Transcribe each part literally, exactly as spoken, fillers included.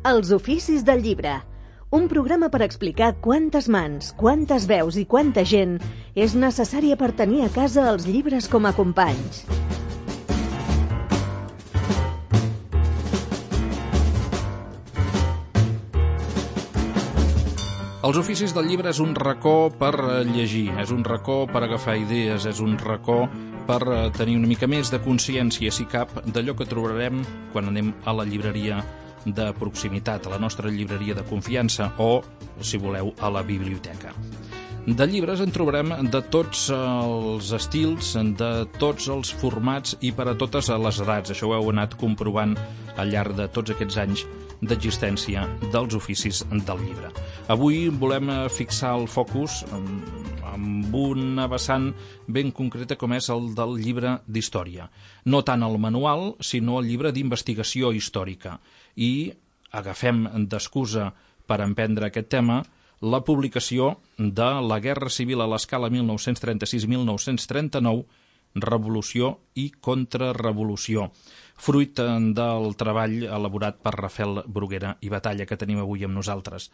Els oficis del llibre. Un programa per explicar quantes mans, quantes veus i quanta gent és necessària per tenir a casa els llibres com a companys. Els oficis del llibre és un racó per llegir, és un racó per agafar idees, és un racó per tenir una mica més de consciència, si cap, d'allò que trobarem quan anem a la llibreria de proximitat, a la nostra llibreria de confiança o, si voleu, a la biblioteca. De llibres en trobarem de tots els estils, de tots els formats i per a totes les edats. Això ho heu anat comprovant al llarg de tots aquests anys d'existència dels oficis del llibre. Avui volem fixar el focus amb una vessant ben concreta com és el del llibre d'història. No tant el manual, sinó el llibre d'investigació històrica. I agafem d'excusa per emprendre aquest tema la publicació de La Guerra Civil a l'Escala mil nou-cents trenta-sis a mil nou-cents trenta-nou, Revolució i Contrarrevolució, fruit del treball elaborat per Rafel Bruguera i Batalla, que tenim avui amb nosaltres.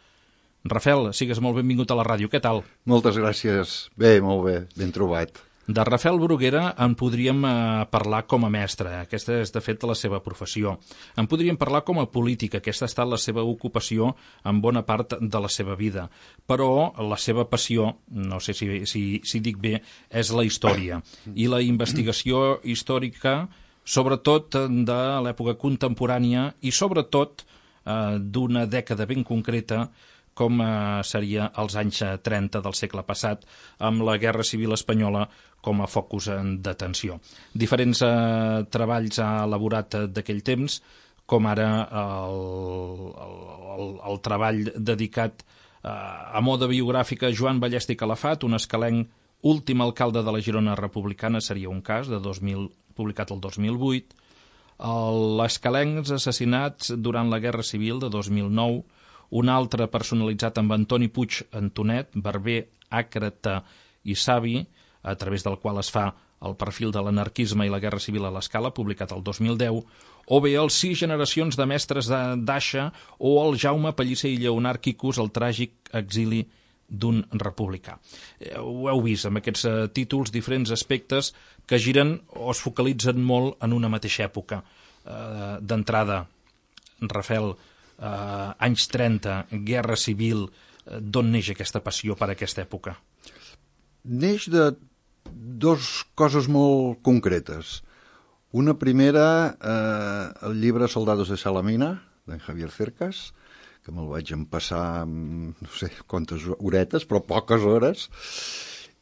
Rafel, sigues molt benvingut a la ràdio, què tal? Moltes gràcies, bé, molt bé, ben trobat. De Rafel Bruguera en podríem eh, parlar com a mestre, aquesta és de fet la seva professió. En podríem parlar com a polític, aquesta ha estat la seva ocupació en bona part de la seva vida. Però la seva passió, no sé si, si, si dic bé, és la història. I la investigació històrica, sobretot de l'època contemporània i sobretot eh, d'una dècada ben concreta, com eh, seria els anys trenta del segle passat, amb la Guerra Civil Espanyola com a focus d'atenció. Diferents eh, treballs ha elaborat d'aquell temps, com ara el, el, el, el treball dedicat eh, a moda biogràfica Joan Ballesta i Calafat, un escalenc últim alcalde de la Girona republicana, seria un cas, de dos mil, publicat el dos mil vuit, l'escalencs assassinats durant la Guerra Civil de dos mil nou, un altre personalitzat amb Antoni Puig Antonet, barber, àcrata i savi, a través del qual es fa el perfil de l'anarquisme i la Guerra Civil a l'Escala, publicat el dos mil deu, o bé els sis generacions de mestres d'Aixa o el Jaume Pellicer i Lleonard Quicos, el tràgic exili d'un republicà. Ho heu vist amb aquests uh, títols, diferents aspectes que giren o es focalitzen molt en una mateixa època. Uh, D'entrada, Rafel, Uh, anys trenta, Guerra Civil, uh, d'on neix aquesta passió per aquesta època? Neix de dues coses molt concretes. Una primera, eh, el llibre Soldados de Salamina, d'en Javier Cercas, que me'l vaig empassar amb no sé quantes horetes, però poques hores.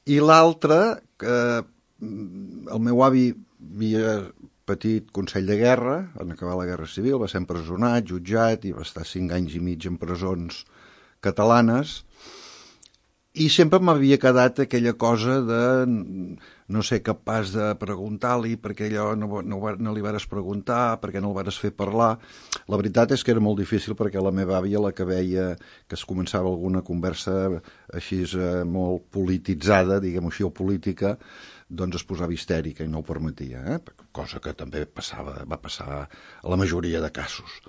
I l'altra, que el meu avi havia petit Consell de Guerra, en acabar la Guerra Civil, va ser empresonat, jutjat, i va estar cinc anys i mig en presons catalanes, i sempre m'havia quedat aquella cosa de no ser capaç de preguntar-li perquè allò no, no, no li vares preguntar, perquè no el vares fer parlar. La veritat és que era molt difícil perquè la meva àvia, la que veia que es començava alguna conversa així eh, molt polititzada, diguem-ho així, o política, doncs es posava histèrica i no ho permetia, eh? Cosa que també passava, va passar a la majoria de casos.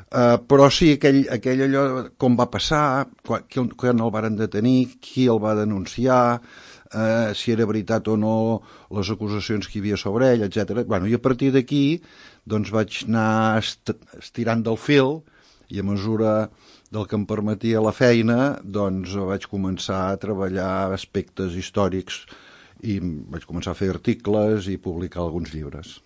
Uh, però sí, aquell, aquell allò, com va passar, quan, quan el varen detenir, qui el va denunciar, uh, si era veritat o no les acusacions que hi havia sobre ell, etcètera. Bueno, i a partir d'aquí doncs vaig anar est estirant del fil i a mesura del que em permetia la feina doncs vaig començar a treballar aspectes històrics i vaig començar a fer articles i publicar alguns llibres.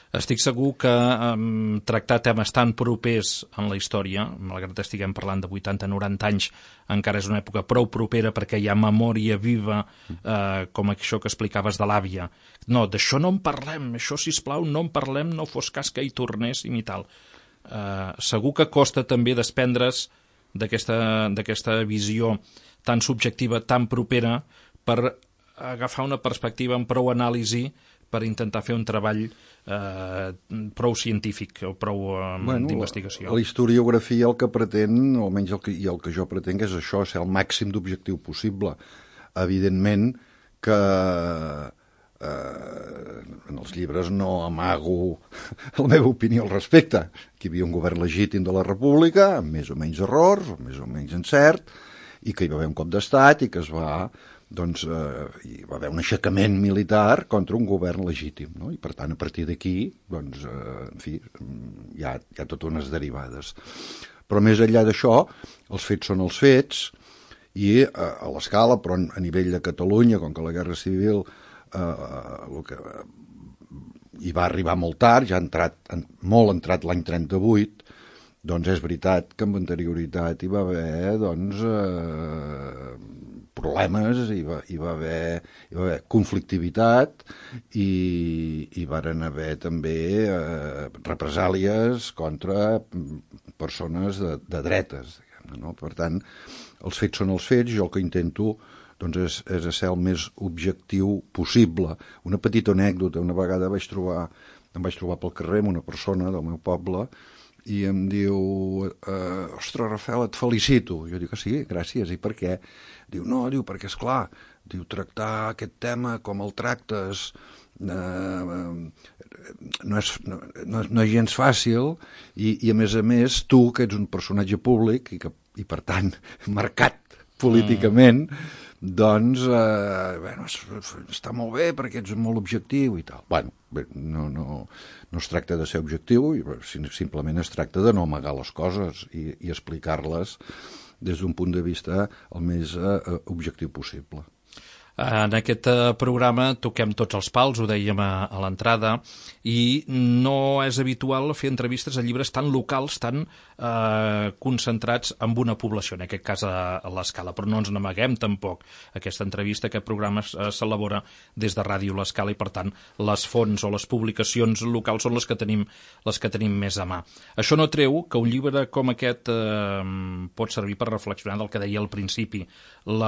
Estic segur que um, tractar temes tan propers en la història, malgrat que estiguem parlant de vuitanta a noranta anys, encara és una època prou propera perquè hi ha memòria viva, eh, com això que explicaves de l'àvia. No, d'això no en parlem, això, sisplau, no en parlem, no fos cas que hi tornéssim i tal. Eh, segur que costa també desprendre's d'aquesta d'aquesta visió tan subjectiva, tan propera, per agafar una perspectiva amb prou anàlisi per intentar fer un treball eh, prou científic o prou eh, bueno, d'investigació. La, la historiografia el que pretén, o almenys el que, i el que jo pretenc, és això, ser el màxim d'objectiu possible. Evidentment que eh, en els llibres no amago la meva opinió al respecte, que hi havia un govern legítim de la República, amb més o menys errors, o més o menys encert, i que hi va haver un cop d'estat i que es va, doncs, eh, hi va haver un aixecament militar contra un govern legítim, no? I per tant, a partir d'aquí, doncs, eh, en fi, hi ha, hi ha totes unes derivades. Però més enllà d'això, els fets són els fets, i eh, a l'escala, però a nivell de Catalunya, com que la Guerra Civil eh, el que, hi va arribar molt tard, ja ha entrat, molt entrat l'any trenta-vuit, doncs és veritat que amb anterioritat hi va haver, doncs, eh, problemes, hi va, hi, va haver, hi va haver conflictivitat i hi varen haver també eh, represàlies contra persones de, de dretes, diguem-ne, no? Per tant, els fets són els fets, jo el que intento doncs, és, és ser el més objectiu possible. Una petita anècdota, una vegada vaig trobar, em vaig trobar pel carrer amb una persona del meu poble i em diu, eh, ostres, Rafael, et felicito. Jo dic que sí, gràcies, i per què? Diu, no, diu, perquè, esclar, diu, tractar aquest tema com el tractes eh, no, és, no, no, no és gens fàcil i, i, a més a més, tu, que ets un personatge públic i, que, i per tant, marcat políticament, mm. doncs, eh, bueno, està molt bé perquè ets molt objectiu i tal. Bueno, bé, no, no, no es tracta de ser objectiu, simplement es tracta de no amagar les coses i, i explicar-les des d'un punt de vista el més eh, objectiu possible. En aquest programa toquem tots els pals, ho dèiem a, a l'entrada, i no és habitual fer entrevistes a llibres tan locals, tan eh, concentrats en una població, en aquest cas a, a l'Escala, però no ens n'amaguem tampoc. Aquesta entrevista, aquest programa s'elabora des de Ràdio l'Escala i, per tant, les fonts o les publicacions locals són les que tenim, les que tenim més a mà. Això no treu que un llibre com aquest eh, pot servir per reflexionar del que deia al principi. El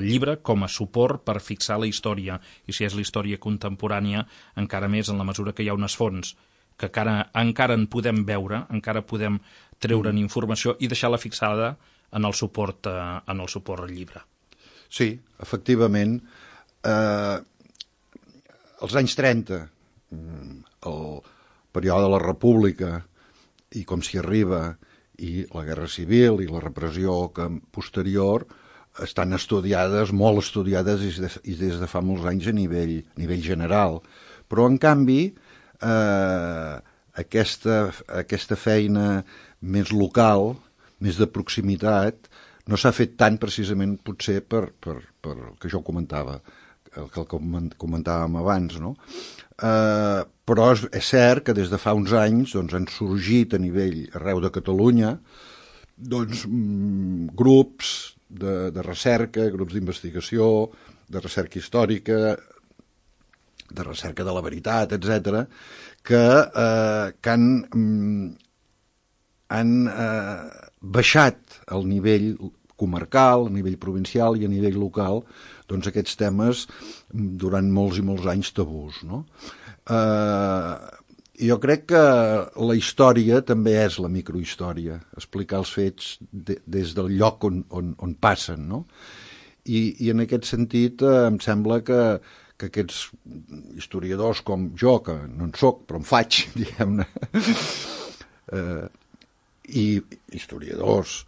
llibre com a suport per fixar la història, i si és la història contemporània, encara més en la mesura que hi ha unes fonts que encara, encara en podem veure, encara podem treure'n informació i deixar-la fixada en el suport, eh, en el suport al llibre. Sí, efectivament. Eh, als anys trenta, el període de la República, i com s'hi arriba, i la Guerra Civil i la repressió que posterior, estan estudiades, molt estudiades i des, i des de fa molts anys a nivell, a nivell general. Però, en canvi, eh, aquesta, aquesta feina més local, més de proximitat, no s'ha fet tant precisament potser per, per, per el que jo comentava, el que comentàvem abans, no? Eh, però és, és cert que des de fa uns anys doncs, han sorgit a nivell arreu de Catalunya doncs, mm, grups De, de recerca, grups d'investigació, de recerca històrica, de recerca de la veritat, etcètera, que, eh, que han, mm, han eh, baixat al nivell comarcal, a nivell provincial i a nivell local, doncs aquests temes durant molts i molts anys tabús, no? Eh, jo crec que la història també és la microhistòria, explicar els fets de, des del lloc on, on, on passen, no? I, i en aquest sentit eh, em sembla que, que aquests historiadors com jo, que no en soc, però en faig, diguem-ne, eh, i historiadors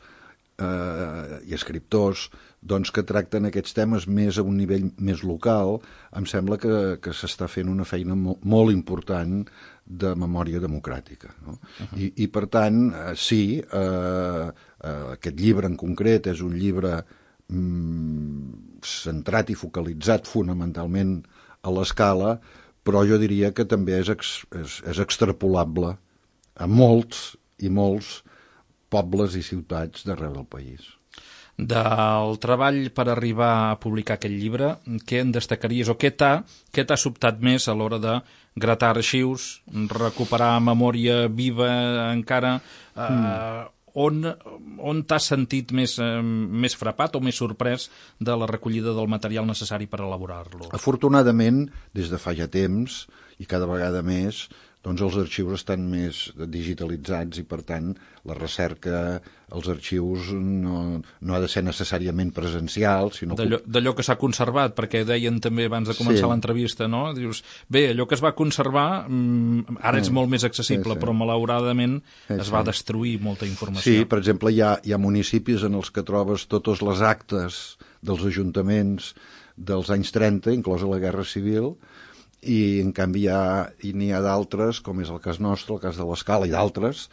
eh, i escriptors, doncs que tracten aquests temes més a un nivell més local, em sembla que, que s'està fent una feina molt, molt important de memòria democràtica, no? Uh-huh. I, I, per tant, eh, sí, eh, eh, aquest llibre en concret és un llibre mm, centrat i focalitzat fonamentalment a l'Escala, però jo diria que també és, ex, és, és extrapolable a molts i molts pobles i ciutats d'arreu del país. Del treball per arribar a publicar aquest llibre, què en destacaries o què t'ha què t'ha sobtat més a l'hora de gratar arxius, recuperar memòria viva encara, eh, mm. on, on t'has sentit més, eh, més frapat o més sorprès de la recollida del material necessari per elaborar-lo? Afortunadament, des de fa ja temps, i cada vegada més, doncs els arxius estan més digitalitzats i, per tant, la recerca als arxius no, no ha de ser necessàriament presencial, sinó... D'allò que s'ha conservat, perquè deien també abans de començar sí. l'entrevista, no? Dius, bé, allò que es va conservar ara és molt més accessible, sí, sí. però malauradament sí, es va sí. destruir molta informació. Sí, per exemple, hi ha, hi ha municipis en els que trobes totes les actes dels ajuntaments dels anys trenta, inclosa la Guerra Civil, i en canvi hi ha, i n'hi ha d'altres, com és el cas nostre, el cas de l'Escala i d'altres,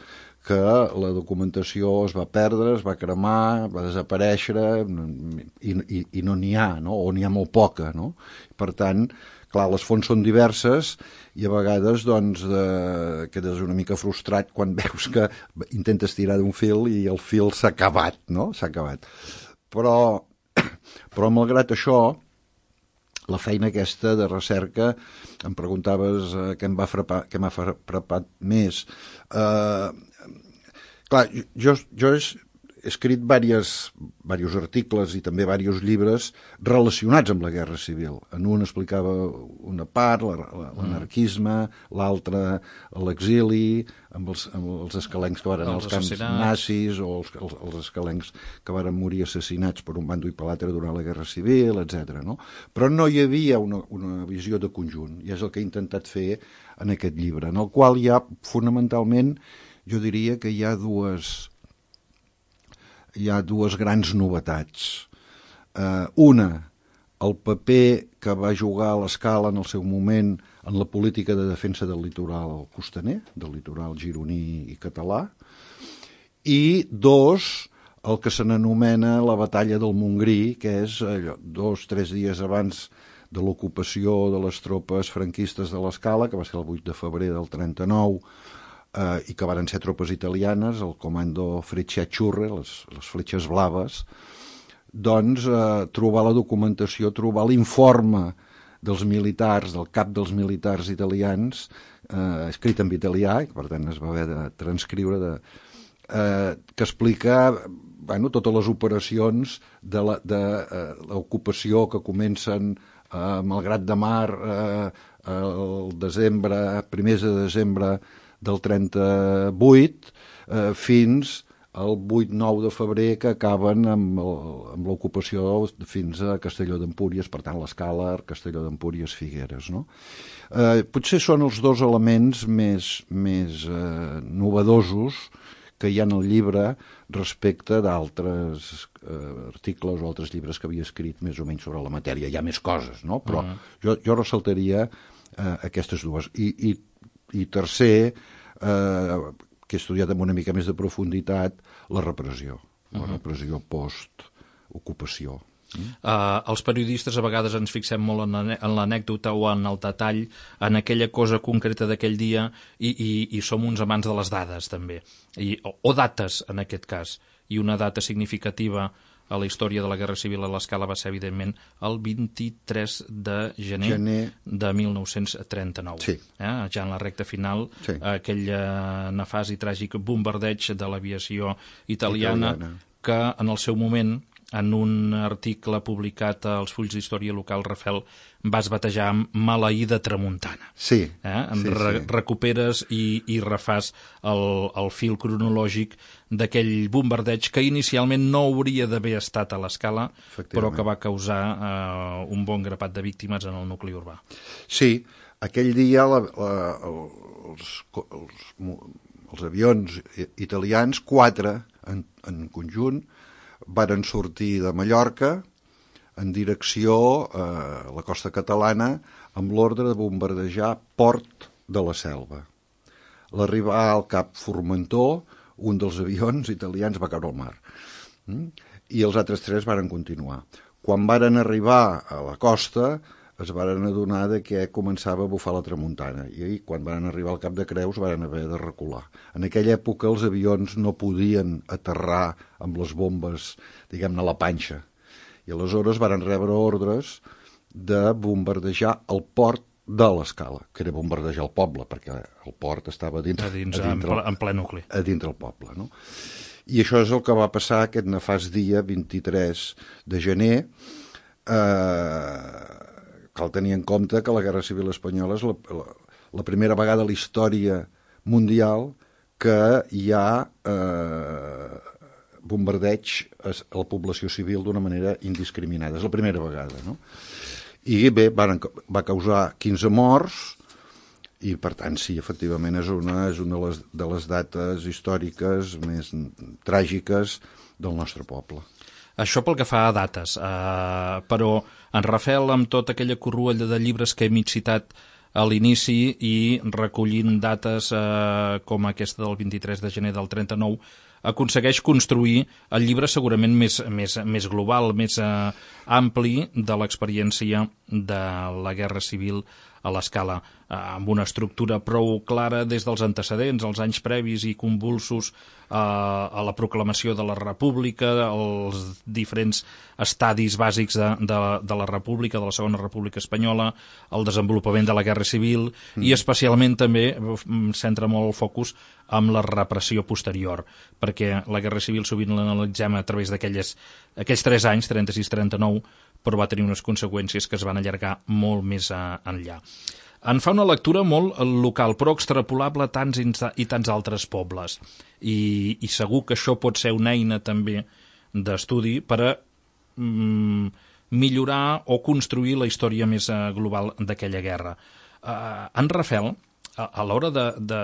que la documentació es va perdre, es va cremar, va desaparèixer i, i, i no n'hi ha, no? O n'hi ha molt poca, no? Per tant, clar, les fonts són diverses i a vegades doncs, eh, quedes una mica frustrat quan veus que intentes tirar d'un fil i el fil s'ha acabat, no? S'ha acabat. Però, però malgrat això, la feina aquesta de recerca, em preguntaves eh, què em va frapar, què m'ha frapat més. Eh, clar, jo, jo he escrit diversos, diversos articles i també diversos llibres relacionats amb la Guerra Civil. En un explicava una part, l'anarquisme, l'altre l'exili, amb els, amb els escalencs que van als camps nazis o els, els, els escalencs que van morir assassinats per un bando i per l'altre durant la Guerra Civil, etcètera. No? Però no hi havia una, una visió de conjunt, i és el que he intentat fer en aquest llibre, en el qual hi ha, fonamentalment, jo diria que hi ha dues, hi ha dues grans novetats. Uh, una, el paper que va jugar a l'Escala en el seu moment en la política de defensa del litoral costaner, del litoral gironí i català, i dos, el que se n'anomena la batalla del Montgrí, que és allò, dos, tres dies abans de l'ocupació de les tropes franquistes de l'Escala, que va ser el vuit de febrer del trenta-nou, eh, i que van ser tropes italianes, el comando Frecciaturre, les, les fletxes blaves, doncs eh, trobar la documentació, trobar l'informe dels militars, del cap dels militars italians, eh, escrit en italià, i per tant es va haver de transcriure, de, eh, que explica bueno, totes les operacions de l'ocupació que comencen eh, amb el Grat de Mar eh, el desembre, primers de desembre del trenta-vuit eh, fins el vuit nou de febrer, que acaben amb, amb l'ocupació fins a Castelló d'Empúries, per tant l'Escala, Castelló d'Empúries, Figueres. No? Eh, potser són els dos elements més, més eh, novedosos que hi ha en el llibre respecte d'altres eh, articles o altres llibres que havia escrit més o menys sobre la matèria. Hi ha més coses, no? Però uh-huh. jo, jo ressaltaria eh, aquestes dues. I, i, i tercer, eh, que he estudiat amb una mica més de profunditat, la repressió, la uh-huh. repressió post-ocupació. Mm? Uh, els periodistes a vegades ens fixem molt en, en l'anècdota o en el detall, en aquella cosa concreta d'aquell dia, i, i, i som uns amants de les dades, també, I, o, o dates, en aquest cas. I una data significativa a la història de la Guerra Civil a l'Escala va ser, evidentment, el vint-i-tres de gener, gener... de mil nou-cents trenta-nou. Sí. Eh? Ja en la recta final, sí. aquell eh, nefast i tràgic bombardeig de l'aviació italiana, italiana, que en el seu moment, en un article publicat als Fulls d'Història Local, Rafel, vas batejar amb Maleïda Tramuntana. Sí. Eh? En sí, re sí. Recuperes i, i refàs el, el fil cronològic d'aquell bombardeig que inicialment no hauria d'haver estat a l'Escala, però que va causar eh, un bon grapat de víctimes en el nucli urbà. Sí, aquell dia la, la, els, els, els avions italians, quatre en, en conjunt, varen sortir de Mallorca en direcció a la costa catalana amb l'ordre de bombardejar Port de la Selva. L'arribar al Cap Formentor, un dels avions italians va caure al mar. I els altres tres varen continuar. Quan varen arribar a la costa, es varen adonar de que començava a bufar la tramuntana, i quan van arribar al Cap de Creus varen haver de recular. En aquella època els avions no podien aterrar amb les bombes, diguem-ne, a la panxa, i aleshores varen rebre ordres de bombardejar el port de l'Escala, que era bombardejar el poble, perquè el port estava a dins, a dins, a dintre, en ple nucli. A dintre el poble, no? I això és el que va passar aquest nefast dia, vint-i-tres de gener. Eh... Cal tenir en compte que la Guerra Civil espanyola és la, la, la primera vegada a la història mundial que hi ha eh, bombardeig a la població civil d'una manera indiscriminada. És la primera vegada, no? I bé, van, va causar quinze morts, i per tant sí, efectivament és una, és una de, les, de les dates històriques més tràgiques del nostre poble. Això pel que fa a dates, eh, però en Rafel, amb tota aquella corruella de llibres que hem citat a l'inici i recollint dates eh, com aquesta del vint-i-tres de gener del trenta-nou, aconsegueix construir el llibre segurament més, més, més global, més eh, ampli de l'experiència de la Guerra Civil a l'Escala, eh, amb una estructura prou clara des dels antecedents, els anys previs i convulsos eh, a la proclamació de la República, els diferents estadis bàsics de, de, de la República, de la Segona República Espanyola, el desenvolupament de la Guerra Civil mm. i especialment també centra molt el focus amb la repressió posterior, perquè la Guerra Civil sovint l'analitzem a través d'aquells aquells tres anys, trenta-sis trenta-nou, però va tenir unes conseqüències que es van allargar molt més a, enllà. En fa una lectura molt local, però extrapolable a tants i tants altres pobles. I, i segur que això pot ser una eina també d'estudi per a mm, millorar o construir la història més global d'aquella guerra. Uh, en Rafel, a, a l'hora de, de,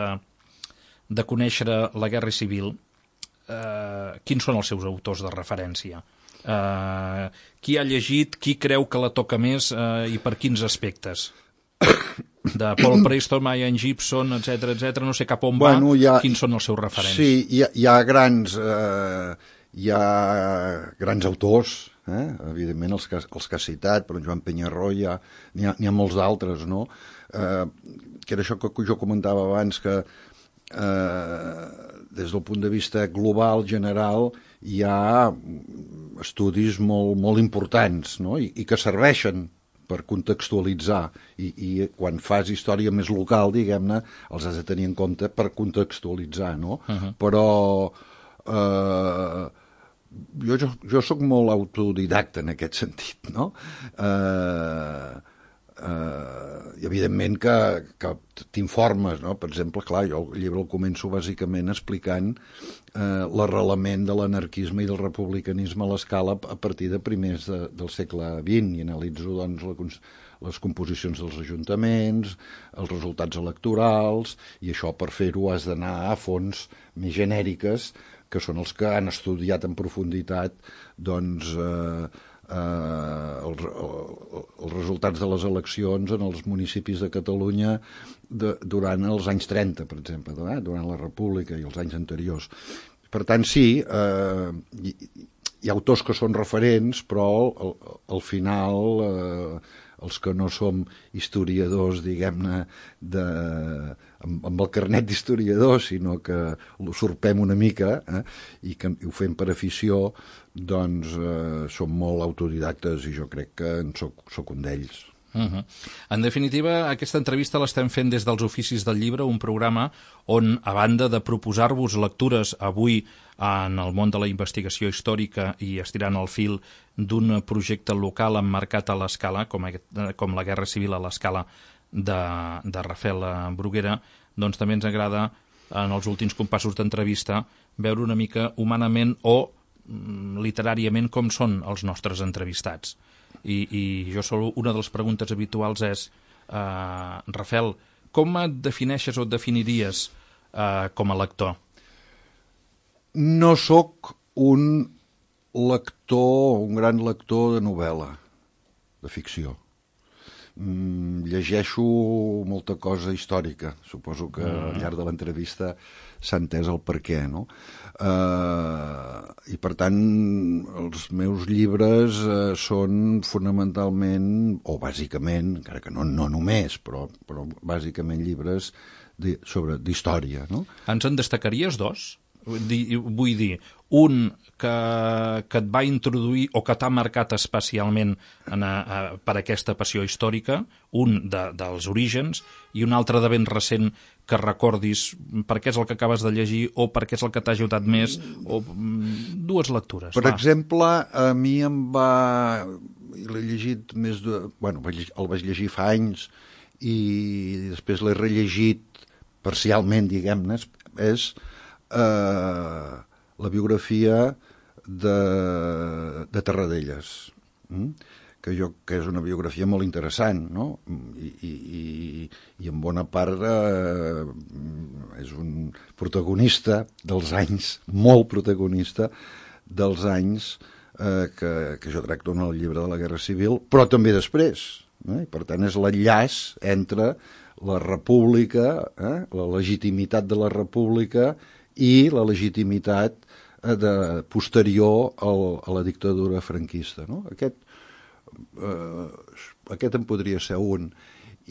de conèixer la Guerra Civil, uh, quins són els seus autors de referència? Uh, qui ha llegit, qui creu que la toca més uh, i per quins aspectes? De Paul Preston, Ian Gibson, etc etcètera, no sé cap on bueno, va, ha, quins són els seus referents? Sí, hi ha, hi ha grans eh, hi ha grans autors, eh? Evidentment els que, els que ha citat, però Joan Penyarroia, n'hi ha, ha molts d'altres, no? Eh, que era això que jo comentava abans, que eh, des del punt de vista global, general, hi ha estudis molt, molt importants, no? I, i que serveixen per contextualitzar, I, i quan fas història més local, diguem-ne, els has de tenir en compte per contextualitzar, no? Uh-huh. Però eh, jo, jo, jo soc molt autodidacta en aquest sentit, no? Eh, Uh, i evidentment que, que t'informes, no? Per exemple, clar, jo el llibre el començo bàsicament explicant uh, l'arrelament de l'anarquisme i del republicanisme a l'Escala a partir de primers de, del segle vint, i analitzo doncs, la, les composicions dels ajuntaments, els resultats electorals, i això per fer-ho has d'anar a fonts més genèriques, que són els que han estudiat en profunditat doncs eh, Uh, els, els resultats de les eleccions en els municipis de Catalunya de, durant els anys trenta, per exemple, eh? Durant la República i els anys anteriors. Per tant, sí, uh, hi, hi ha autors que són referents, però al, al final uh, els que no som historiadors, diguem-ne, de, amb, amb el carnet d'historiador, sinó que l'usurpem una mica eh, i que ho fem per afició, doncs eh, som molt autodidactes i jo crec que en soc, soc un d'ells. Uh-huh. En definitiva, aquesta entrevista l'estem fent des dels Oficis del Llibre, un programa on, a banda de proposar-vos lectures avui en el món de la investigació històrica i estirant el fil d'un projecte local emmarcat a l'Escala, com, com la Guerra Civil a l'Escala de, de Rafel Bruguera, doncs també ens agrada, en els últims compassos d'entrevista, veure una mica humanament o literàriament com són els nostres entrevistats. I, i jo solo una de les preguntes habituals és uh, Rafel, com et defineixes o et definiries uh, com a lector? No sóc un lector, un gran lector de novel·la, de ficció. Mm, llegeixo molta cosa històrica. Suposo que mm. al llarg de l'entrevista s'ha entès el per què, no? Uh, I per tant els meus llibres uh, són fonamentalment, o bàsicament, encara que no, no només, però, però bàsicament llibres de, sobre d'història, no? Ens en destacaries dos? Vull dir, un que, que et va introduir o que t'ha marcat especialment en a, a, per aquesta passió històrica, un de, dels orígens, i un altre de ben recent que recordis per què és el que acabes de llegir o per què és el que t'ha ajudat més, o dues lectures. Per va. exemple, a mi em va... l'he llegit més de... Bueno, el vaig llegir fa anys i després l'he rellegit parcialment, diguem-ne, és eh, la biografia de, de Tarradellas, mm? que jo que és una biografia molt interessant, no? I, i, i, i en bona part eh, és un protagonista dels anys, molt protagonista dels anys eh, que, que jo tracto en el llibre de la Guerra Civil, però també després. Eh? Per tant, és l'enllaç entre la república, eh? la legitimitat de la república i la legitimitat eh, de, posterior al, a la dictadura franquista. No? Aquest Uh, aquest en podria ser un.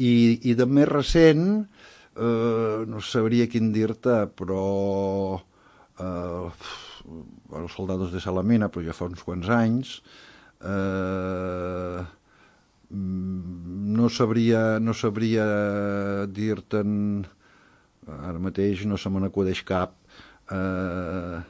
I, i de més recent uh, no sabria quin dir-te, però uh, Els soldados de Salamina, però ja fa uns quants anys, uh, no sabria no sabria dir-te'n ara mateix, no se me n'acudeix cap. uh,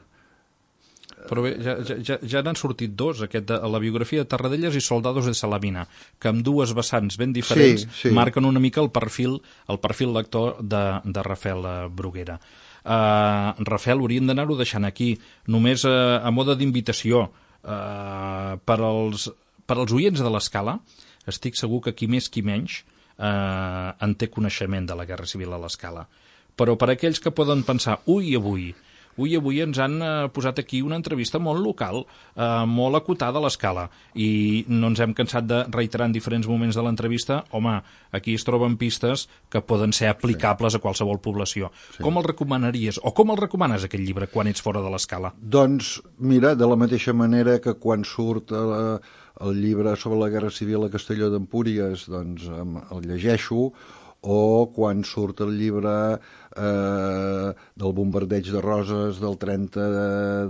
Però bé, ja, ja, ja n'han sortit dos, aquest de, la biografia de Tarradellas i Soldados de Salamina, que amb dues vessants ben diferents sí, sí. marquen una mica el perfil el perfil lector de, de Rafael Bruguera. Uh, Rafael, hauríem d'anar-ho deixant aquí, només uh, a mode d'invitació. Uh, per, als, per als oients de l'Escala, estic segur que qui més qui menys uh, en té coneixement de la Guerra Civil a l'Escala. Però per aquells que poden pensar, ui, avui... Ui, avui ens han eh, posat aquí una entrevista molt local, eh, molt acotada a l'Escala, i no ens hem cansat de reiterar en diferents moments de l'entrevista, home, aquí es troben pistes que poden ser aplicables sí. a qualsevol població. Sí. Com el recomanaries, o com el recomanes aquest llibre quan ets fora de l'Escala? Doncs, mira, de la mateixa manera que quan surt eh, el llibre sobre la Guerra Civil a Castelló d'Empúries, doncs el llegeixo, o quan surt el llibre eh, del bombardeig de Roses del trenta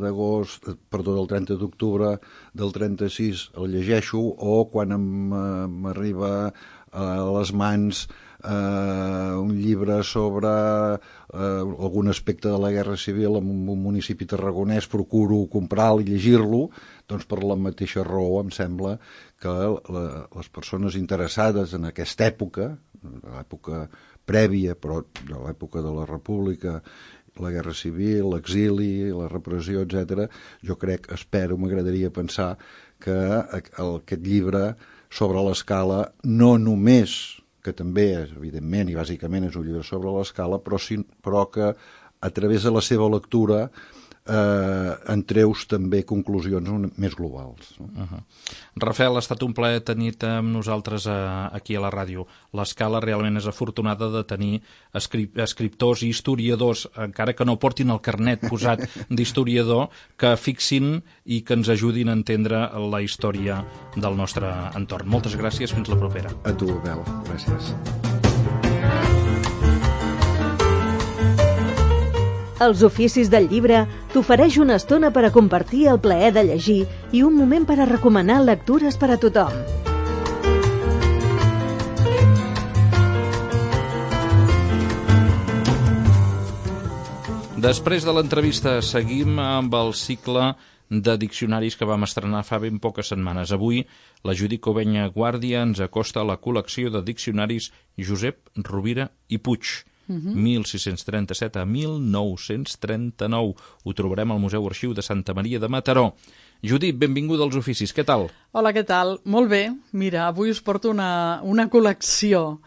d'agost, perdó, del trenta d'octubre del trenta-sis, el llegeixo, o quan m'arriba a les mans eh, un llibre sobre eh, algun aspecte de la Guerra Civil en un municipi tarragonès, procuro comprar-lo i llegir-lo, doncs per la mateixa raó em sembla que la, les persones interessades en aquesta època, l'època prèvia, però de l'època de la República, la Guerra Civil, l'exili, la repressió, etcètera, jo crec, espero, m'agradaria pensar que aquest llibre sobre l'Escala no només, que també és, evidentment, i bàsicament és un llibre sobre l'Escala, però, sí, però que a través de la seva lectura eh, en treus també conclusions més globals. No? Uh-huh. Rafael, ha estat un plaer tenir-te amb nosaltres a, aquí a la ràdio. L'Escala realment és afortunada de tenir escrip escriptors i historiadors, encara que no portin el carnet posat d'historiador, que fixin i que ens ajudin a entendre la història del nostre entorn. Moltes gràcies, fins la propera. A tu, Abel, gràcies. Els oficis del llibre t'ofereix una estona per a compartir el plaer de llegir i un moment per a recomanar lectures per a tothom. Després de l'entrevista seguim amb el cicle de diccionaris que vam estrenar fa ben poques setmanes. Avui la Judit Covenya Guàrdia ens acosta a la col·lecció de diccionaris Josep Rovira i Puig. Uh-huh. mil sis-cents trenta-set a mil nou-cents trenta-nou. Ho trobarem al Museu Arxiu de Santa Maria de Mataró. Judit, benvinguda als oficis, què tal? Hola, què tal? Molt bé. Mira, avui us porto una, una col·lecció.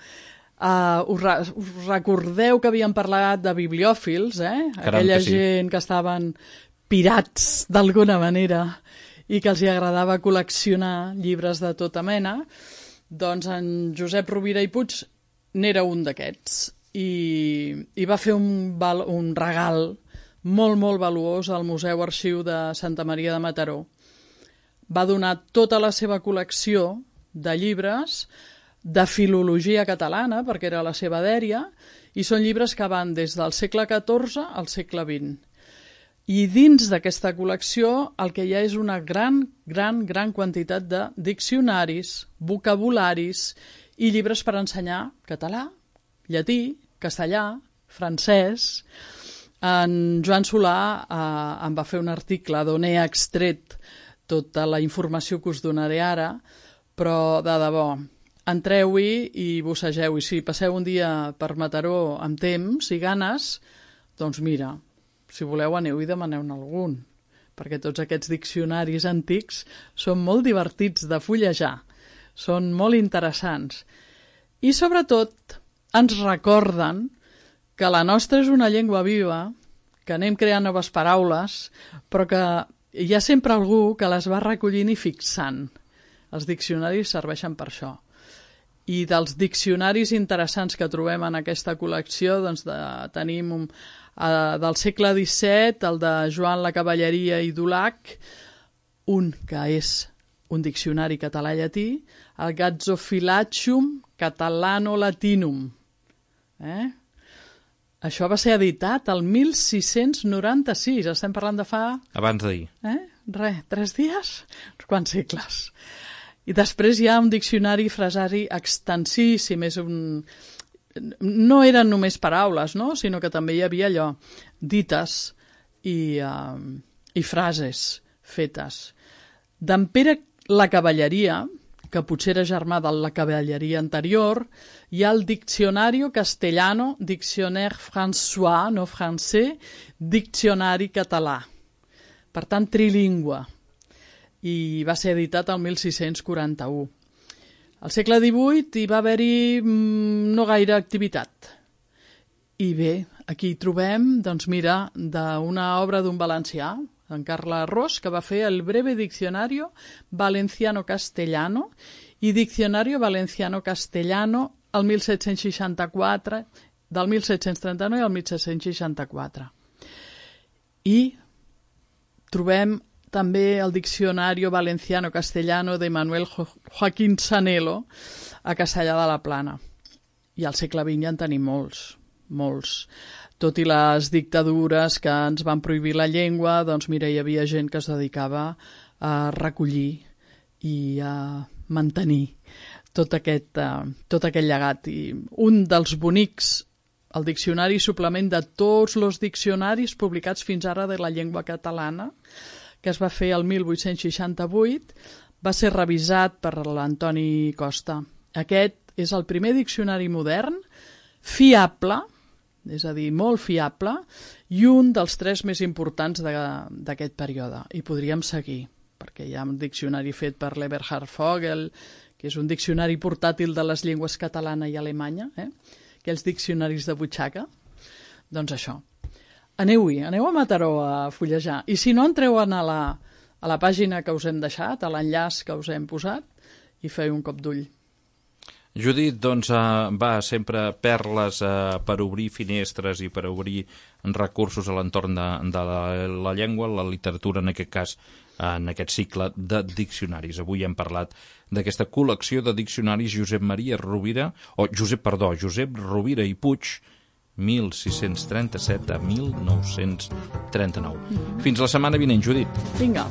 Uh, us, re us recordeu que havíem parlat de bibliòfils, eh? Caram, aquella que sí. gent que estaven pirats d'alguna manera i que els hi agradava col·leccionar llibres de tota mena. Doncs en Josep Rovira i Puig n'era un d'aquests. I, i va fer un, val, un regal molt, molt valuós al Museu Arxiu de Santa Maria de Mataró. Va donar tota la seva col·lecció de llibres de filologia catalana, perquè era la seva dèria, i són llibres que van des del segle catorze al segle vint. I dins d'aquesta col·lecció el que hi ha és una gran, gran, gran quantitat de diccionaris, vocabularis i llibres per ensenyar català, llatí, castellà, francès. En Joan Solà eh, em va fer un article d'on he extret tota la informació que us donaré ara, però de debò, entreu-hi i bussegeu. I si passeu un dia per Mataró amb temps i ganes, doncs mira, si voleu aneu i demaneu-ne algun, perquè tots aquests diccionaris antics són molt divertits de fullejar, són molt interessants. I sobretot ens recorden que la nostra és una llengua viva, que anem creant noves paraules, però que hi ha sempre algú que les va recollint i fixant. Els diccionaris serveixen per això. I dels diccionaris interessants que trobem en aquesta col·lecció, doncs de, tenim un, uh, del segle disset, el de Joan la Cavalleria i Dulac, un que és un diccionari català-llatí, el Gazzophyllactium Catalano-Latinum. Eh? Això va ser editat el mil sis-cents noranta-sis, estem parlant de fa... Abans d'ahir. Eh? Res, tres dies? Quants segles? I després hi ha un diccionari frasari extensíssim, és un... no eren només paraules, no? Sinó que també hi havia allò, dites i, uh, i frases fetes. D'en Pere la Cavalleria, que potser era germà de la cavalleria anterior, hi ha el Diccionario Castellano, Dictionnaire François, no francès, Diccionari català. Per tant, trilingüe. I va ser editat el mil sis-cents quaranta-u. Al segle divuit hi va haver-hi mm, no gaire activitat. I bé, aquí trobem, doncs mira, d'una obra d'un valencià, en Carles Ros, que va fer el Breve Diccionario Valenciano-Castellano i Diccionario Valenciano-Castellano el mil set-cents seixanta-quatre, del mil set-cents trenta-nou al mil set-cents seixanta-quatre. I trobem també el Diccionario Valenciano-Castellano de Manuel jo Joaquín Sanelo a Castellar de la Plana. I al segle vint ja en tenim molts, molts. Tot i les dictadures que ens van prohibir la llengua, doncs mira, hi havia gent que es dedicava a recollir i a mantenir tot aquest, uh, tot aquest llegat. I un dels bonics, el diccionari suplement de tots els diccionaris publicats fins ara de la llengua catalana, que es va fer el mil vuit-cents seixanta-vuit, va ser revisat per l'Antoni Costa. Aquest és el primer diccionari modern, fiable, és a dir, molt fiable, i un dels tres més importants d'aquest període. I podríem seguir, perquè hi ha un diccionari fet per l'Eberhard Vogel, que és un diccionari portàtil de les llengües catalana i alemanya, eh? Aquells diccionaris de butxaca. Doncs això. Aneu-hi, aneu a Mataró a fullejar. I si no, entreu a la, a la pàgina que us hem deixat, a l'enllaç que us hem posat, i feu un cop d'ull. Judit, doncs, uh, va, sempre perles uh, per obrir finestres i per obrir recursos a l'entorn de, de la, la llengua, la literatura, en aquest cas, uh, en aquest cicle de diccionaris. Avui hem parlat d'aquesta col·lecció de diccionaris Josep Maria Rovira, o Josep, perdó, Josep Rovira i Puig, mil sis-cents trenta-set a mil nou-cents trenta-nou. Mm-hmm. Fins la setmana vinent, Judit. Vinga.